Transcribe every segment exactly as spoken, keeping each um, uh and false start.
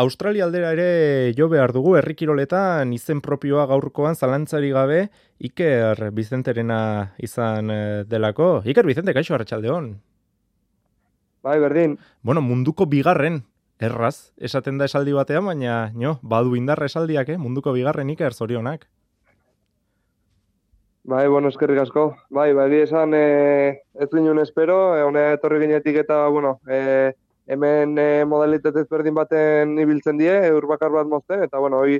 Australia aldera ere jo behar dugu, herri kiroletan izen propioa gaurkoan zalantzari gabe Iker Bizenterena izan eh, delako. Iker Bizente, kaixo, arratsaldeon. Bai, berdin. Bueno, munduko bigarren, erraz, esaten da esaldi batean, baina, no, badu indarra esaldiak, eh? Munduko bigarren Iker, zorionak. Bai, bueno, eskerrik asko. Bai, bai, esan eh, ez ginen espero, eh, honea etorri ginetik eta, bueno, eh, hemen eh, modalitate ezberdin baten ibiltzen die, eur bakar bat mozten, eta, bueno, hoi,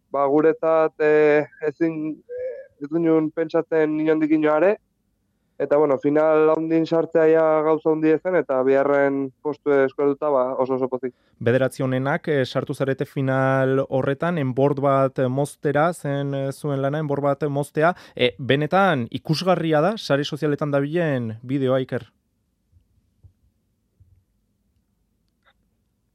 ba, guretzat eh, ezin, eh, ez ginen pentsatzen inondik inoare, eta, bueno, final handin sartzea ja gauza handi ezen, eta biharren postu eskueduta, ba, oso oso pozik. Bederatzi honenak eh, sartu zarete final horretan, enbord bat moztera, zen eh, zuen lana, enbord bat moztea. E, benetan, ikusgarria da, sare sozialetan dabilen bideoa, Iker?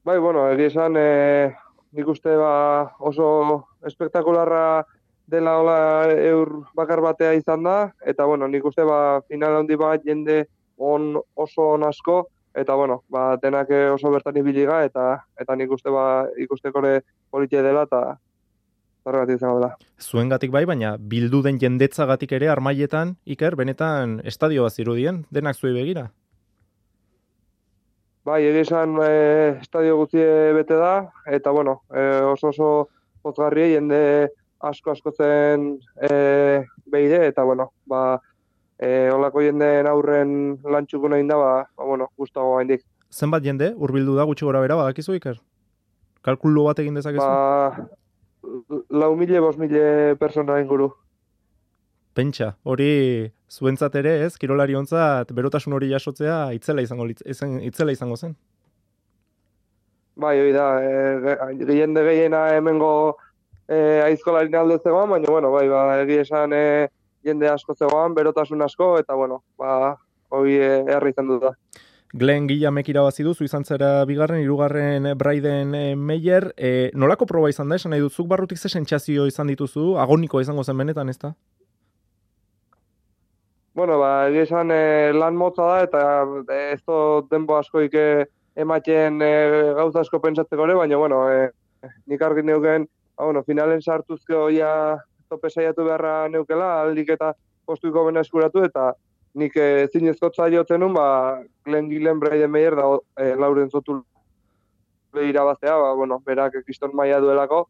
Bai, bueno, egia esan, eh, nik uste ba, oso espektakularra dela hola eur bakar batea izan da, eta bueno, nik uste ba, final handi bat jende on oso on asko, eta bueno, ba, denak oso bertan ibiliga, eta eta nik uste ba, ikustekore politia dela, eta horregatik izango dela. Zuengatik bai, baina bildu den jendetzagatik ere armailetan, Iker, benetan estadio bat zirudien, denak zuei begira. Bai, egia esan e, estadio guztie bete da, eta bueno, e, oso oso pozgarri jende asko asko zen e, behide, eta bueno, ba, e, olako jendeen aurren lantxukuna inda, ba, ba, bueno, gustago gaindik. Zenbat jende, hurbildu da gutxi gora bera, badakizu, Iker? Kalkulu bat egin dezakezu? Ba, lau mile, bos mile persona inguru. Pentsa, hori zuentzat ere, ez, kirolari ontzat, berotasun hori jasotzea itzela izango, itzen, itzela izango zen. Bai, hori da, e, jende gehiena hemengo e, aizkolarin alde zegoan, baina, bueno, bai, ba, egia esan e, jende asko zegoan, berotasun asko, eta, bueno, ba, hori e, herri izan dut da. Glenn Guillamek irabazi du, zu izan zera bigarren, hirugarren Braiden e, Meyer. E, nolako proba izan da, esan nahi dut, zuk barrutik ze sentsazio izan dituzu, agoniko izango zen benetan, ez da? Bueno, ba, egia esan e, lan motza da, eta e, ez dut denbo askoik e, ematen e, gauza asko pentsatzeko ere, baina, bueno, e, nik argi neuken, ba, bueno, finalen sartuzko ja tope saiatu beharra neukela, aldik eta postuiko bena eskuratu, eta nik e, zinezkotza jotzen nun, ba, Glenn Gillen Braiden Meyer da e, lauren zotu irabaztea, ba, bueno, berak kriston maila duelako,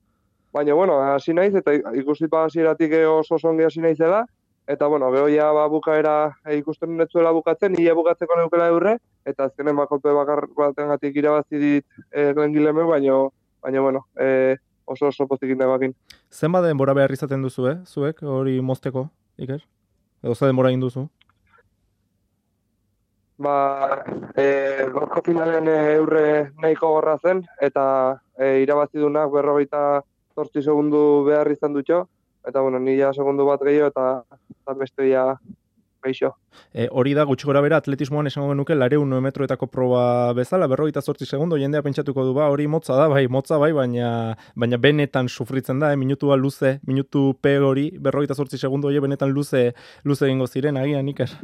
baina, bueno, hasi naiz, eta ikusi pa hasieratik oso songi hasi naizela, eta, bueno, geho ja ba, bukaera e, ikusten netzuela bukatzen, nire bukatzeko neukela eurre, eta azkenen bakolpe bakar batengatik irabazi dit e, Glenn Gillemek, baina, baina, bueno, e, oso oso pozik indagoakin. Zenbat denbora behar izaten duzu, eh? Zuek, hori mozteko, Iker? Edo ze denbora egin duzu? Ba, e, gorko finalen e, eurre nahiko gorra zen, eta e, irabazi dunak berrogeita zortzi segundu behar izan dutxo, eta, bueno, nila segundu bat gehiago, eta, eta beste ja geixo. E, hori da, gutxi gora bera, atletismoan esango genuke, lareun metroetako proba bezala, berrogeita zortzi segundo, jendea pentsatuko du, ba, hori motza da, bai, motza bai, baina, baina benetan sufritzen da, eh? Minutua luze, minutu P hori, berrogeita zortzi segundo, hori benetan luze, luze egingo ziren, agian, Iker.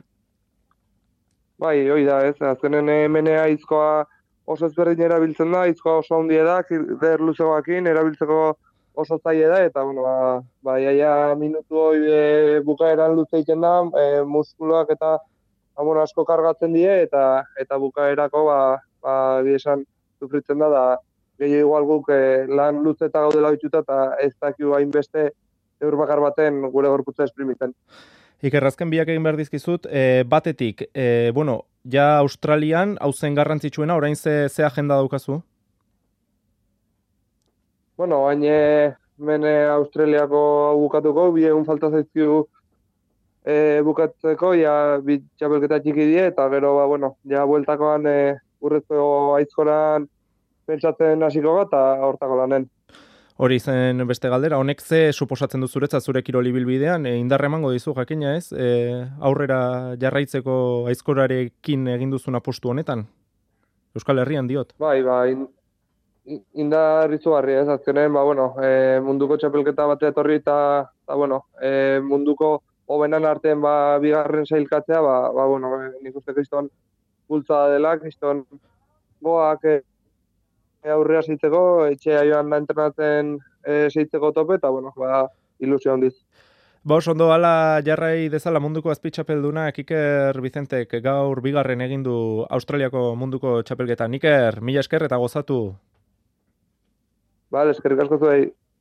Bai, hori da, ez, azkenen hemenea izkoa oso ezberdin erabiltzen da, izkoa oso handia da, der luzegoakin, erabiltzeko oso zaila da, eta, bueno, ba, ba iaia minutu hori e, bukaeran luze egiten da, e, muskuloak eta amon asko kargatzen die, eta eta bukaerako, ba, ba, esan sufritzen da, da gehiago igual guk e, lan luze eta gaudela bitxuta, eta ez dakiu hainbeste eur bakar baten gure gorputza esprimitzen. Iker, azken biak egin behar dizkizut, e, batetik, e, bueno, ja Australian, hau zen garrantzitsuena, orain ze, ze agenda daukazu? Bueno, baina mene Australiako bukatuko, bi egun falta zaizkigu e, bukatzeko, ja bi txapelketa txiki die, eta gero, ba, bueno, ja bueltakoan e, urrezko aizkoran pentsatzen hasiko bat, eta hortako lanen. Hori zen beste galdera, honek ze suposatzen du zuretzat zure kiroli bilbidean, e, indarra emango dizu jakina ez, e, aurrera jarraitzeko aizkorarekin egin duzun apostu honetan? Euskal Herrian diot. Bai, bai, indar izugarri ez, azkenen, ba, bueno, e, munduko txapelketa batea etorri eta, eta bueno, e, munduko hobenan artean ba, bigarren sailkatzea, ba, ba, bueno, nik uste kriston bultza dela, kriston goak e, aurrera zeitzeko, etxea joan da entrenatzen e, zeitzeko tope, eta bueno, ba, ilusio handiz. Ba, oso ondo ala jarrai dezala munduko azpitxapeldunak Iker Vicentek gaur bigarren egin du Australiako munduko txapelketan. Iker, mila esker eta gozatu. Bale, eskerrik asko zuei.